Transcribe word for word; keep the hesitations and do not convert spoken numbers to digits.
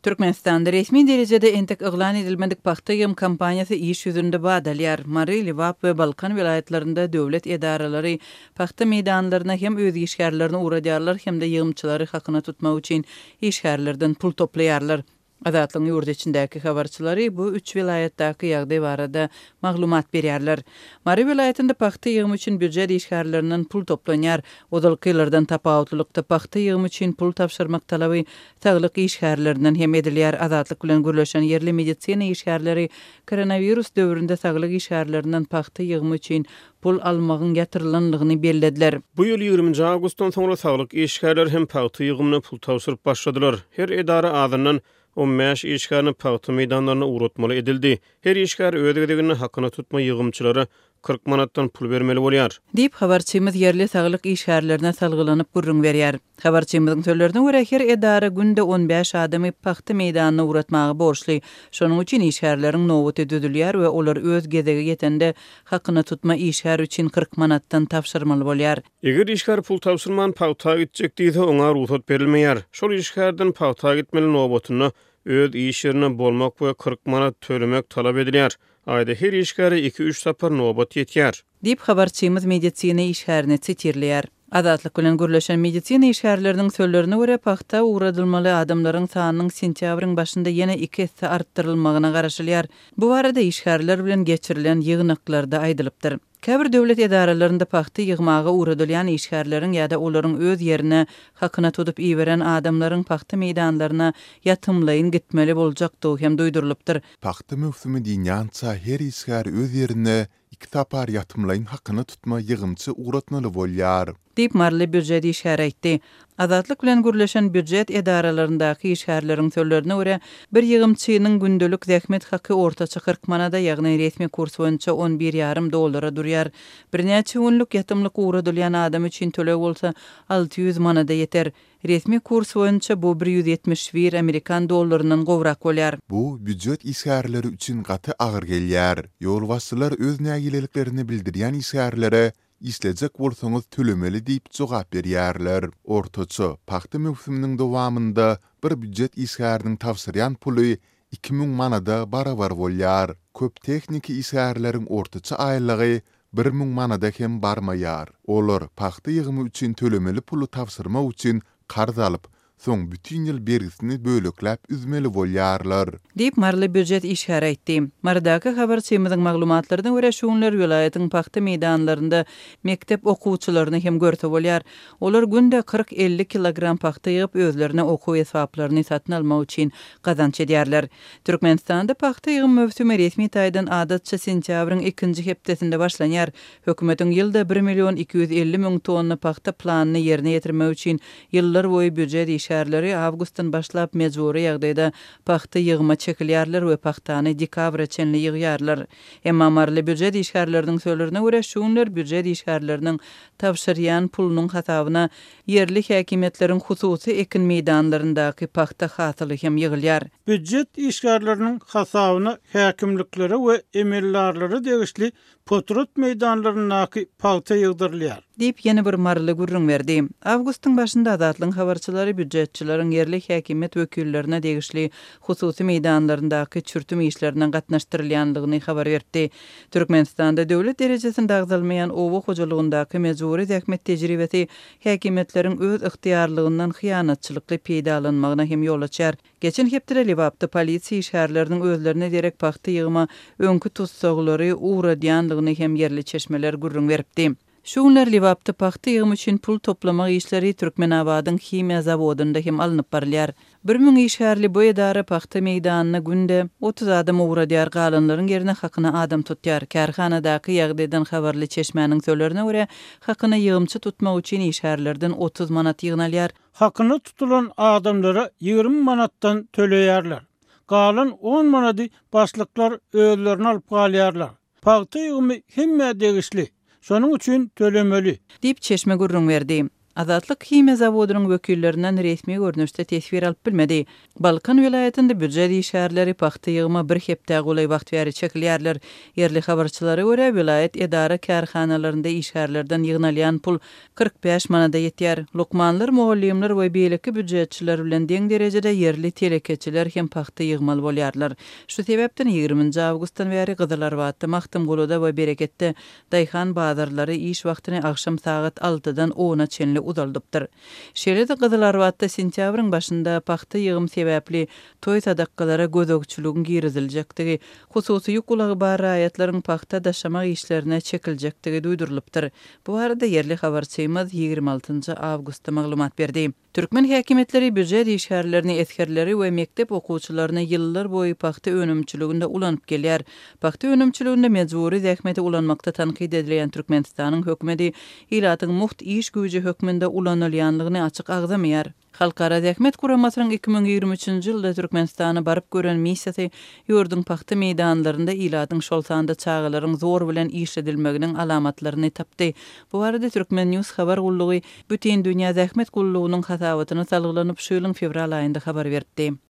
Türkmenistanda resmi derecede entek ıglan edilmedik paxta yığım kampanyası iş yüzünde badalıyar. Mari, Livap ve Balkan vilayetlerinde dövlet edaraları paxta meydanlarına hem öz işgärlerini uğradyarlar hem de yığımçıları hakkına tutmak için işgärlerden pul toplayarlar. Azatlygyň ýurdu içindäki habarçylary bu üç vilaýatdaky ýagdaý barada maglumat berýärler. Mari vilaýatynda paxta ýygymy üçin büdjet işgärlerinden pul toplanýar. Odalkylardan tapawutlykda paxta ýygymy üçin pul tapşyrmak talaby saglyk işgärlerinden hem edilýär. Azatlyk bilen gürleşen yerli medisina işgärleri koronavirus döwründe saglyk işgärlerinden paxta ýygymy üçin pul almagyň ýatyrylanlygyny bellädiler. Bu ýyl ýigrimiji awgustdan soňra saglyk işgärler hem paxta ýygymy pul tapşyryp başladylar. Her edara adından on beş işgärni paxta meydanlaryna uğratmaly edildi. Her işgär ödegini hakyna tutma ýygymçylary kırk manatdan pul bermeli bolýar. Diýip habarçymyz yerli saglyk işgärlerine salgylanyp gurrun berýär. Habarçymyzyň sözlerine görä her edara günde on beş adamy paxta meýdanyna uğratmagy borçly. Şonuň üçin işgärleriň nowbaty düzülýär we olar öz gezege ýetende hakyna tutma işgär üçin kırk manatdan tapşyrmaly bolýar. Eger işgär pul tapşyrman paxta gitjek diýse oňa ruhsat berilmeýär. Şol işgärden paxta gitmeli nowbatyny öz iş ýerine bolmak we kırk manat tölemek talap edilýär. Aýda her işgäre iki üç sapar nowbat ýetýär. Diýip habarçymyz medisina işgärini çetirleýär. Azatlyk bilen gürleşen medisina işgärleriniň sözlerine görä paxta uğradylmaly adamlaryň sanynyň sentýabryň başynda ýene iki hisse artdyrylmagyna garaşylýar. Bu barada işgärler bilen geçirilen ýygnaklarda aýdylypdyr. Käbir döwlet edaralarynda paxta ýygmaga uğradylýan işgärleriň ýa-da olaryň öz ýerine hakyna tutup iýberen adamlaryň paxta meýdanlaryna ýatymlaýyn gitmeli boljakdygy hem duýdurylypdyr. Paxta mövsümi diýýänçä her işgär öz ýerine iki tapar ýatymlaýyn hakyny tutma ýygymçy uğratmaly bolýar. Diýip marly büdjet işgär aýtdy. Azatlyk bilen gürleşen büdjet edaralaryndaky işgärleriň sözlerine görä bir ýygymçynyň gündelik zähmet haky ortaça kırk manada ýagny resmi kurs boýunça on bir ýarym dollara durýar. Birnäçe günlük ýatymlyk uğradylýan adam üçin tölek bolsa alty ýüz manada ýeter. Resmi kurs boýunça bu bir ýüz ýetmiş bir Amerikan dollarynyň gowrak bolýar. Bu büdjet işgärleri üçin gaty agyr gelýär. Ýolbaşçylar öz nägileliklerini bildirýän işgärlere İşlejek bolsaňyz tölemeli diýip jogap berýärler. Ortaça paxta mövsüminiň dowamında bir büdjet işgäriniň tapşyrýan puly iki ming manada barabar bolýar. Köp tekniki işgärleriň ortaça aýlygy bir ming manada hem barmaýar. Olar paxta ýygymy üçin tölemeli pulu tapşyrmak üçin karz alyp, soň bütün ýyl bergisini bölekläp üzmeli bolýarlar. Diýip marly büdjet işgär aýtdy. Mardaky habarçymyzyň maglumatlaryna görä şuňlar vilayatyň paxta meýdanlarynda mektep okuwçylaryny hem görse bolýar. Olar günde kırk elli kilogram paxta ýygyp özlerine okuw esaplaryny satyn almak üçin gazanç edýärler. Türkmenistanda paxta ýygym mövsümi resmi taýdan adatça sentýabryň ikinji hepdesinde başlanýar. Hökümetiň ýylda bir milyon iki yüz elli ming tonna paxta planyny ýerine ýetirmek üçin ýyllar boýu büdjet işgärleri awgustdan başlap mejburi ýagdaýda paxta ýygyma çekilýärler we paxtany dekabra çenli ýygýarlar. Emma marly büdjet işgärleriniň sözlerine görä şuňlar büdjet işgärleriniň tapşyrýan pulunyň hasabyna yerli häkimetleriň hususy ekin meýdanlaryndaky paxta hasaly hem ýygylýar. Büdjet işgärleriniň hasabyna häkimliklere we emellarlary degişli potrot meýdanlarynaky paxta ýygdyrylýar. Diýip ýene bir marly gurrun berdi. Awgustyň başynda azatlyň habarçylary büdjetçileriň yerli häkimet wekillerine degişli hususy meýdanlaryndaky çürtüm işlerinden gatnaşdyrylýanlygyny habar berdi. Türkmenistanda döwlet derejesinde agzalmaýan owa hojalygyndaky mejburi zähmet tejribesi häkimetleriň öz ygtyýarlygyndan hyýanatçylykly peýdalanmagyna hem ýol açar. Geçen hepde Livapda polisiýa işgärleriniň özlerine derek paxta ýygyma öňkü tutsaglary uğradýanlygyny hem yerli çeşmeler gurrun beripdi. Şuňlar Livapda paxta ýygymy üçin pul toplamak işleri Türkmenabadyň himiýa zawodunda hem alınıp barylýar. bir ming işgärli bu edara paxta meýdanyna günde otuz adam uğradýar, galanlaryň ýerine hakyna adam tutýar. Kärhanadaky ýagdaýdan habarly çeşmäniň sözlerine görä hakyna ýygymçy tutmak üçin işgärlerden otuz manat ýygnalýar. Hakyna tutulan adamlara ýygrimi manatdan töleýärler. Galan on manady başlyklar özlerini alyp galýarlar. Paxta ýygymy hemme degişli. Şonuň üçin tölemeli. Diýip çeşme gurrun berdi. Azatlyk Hime zawodynyň wekillerinden resmi görnüşde tesbir alyp bilmedi. Balkan vilayetinde büdjet işgärleri paxta ýygyma bir hepde golay wagt bäri çekilýärler. Yerli habarçylara görä vilayet edara kärhanalarynda işgärlerden ýygnalýan pul kırk beş manada ýetýär. Lukmanlar, muallimler we beýleki büdjetçiler bilen deň derejede yerli telekeçiler hem paxta ýygmaly bolýarlar. Şu sebäpden ýygrüminji awgustdan bäri Gyzylarbatda, Mahtumguluda we Bereketde daýhan bazarlary iş wagtyny akşam saat altıdan ona çenli udaldypdyr. Şeýle-de Gyzylarbatda sentýabryň başynda paxta ýygym sebäpli toý sadakkalara gözökçülügiň giriziljektigi, hususy ýukulagy bar raýatlaryň paxta daşamak işlerine çekiljekdigi duýdurylypdyr. Bu arada yerli habarçymyz ýygrimi altynjy awgustda maglumat berdi. Türkmen häkimetleri büdjet işgärlerini etkerleri we mektep okuwçylaryna ýyllar boýy paxta önümçiliginde ulanyp gelýär. Paxta önümçiliginde mejburi zähmeti ulanmakda tankyd edilýän Türkmenistanyň hökümeti ilatyň muht iş güýji hökmünde ulanylýanlygyny açyk agzamaýar. Halkara zähmet kuramasynyň iki ming ýygrimi üçinji ýylda Türkmenistana baryp gören missiýasy ýurdun paxta meýdanlarynda ilatyň şol sanda çağalaryň zor bilen iş edilmeginiň alamatlaryny tapdy. Bu arada Türkmen News habar gullugy bütün dünýä zähmet gullugynyň hasabatyna salgylanyp şu ýylyň fevral aýynda habar berdi.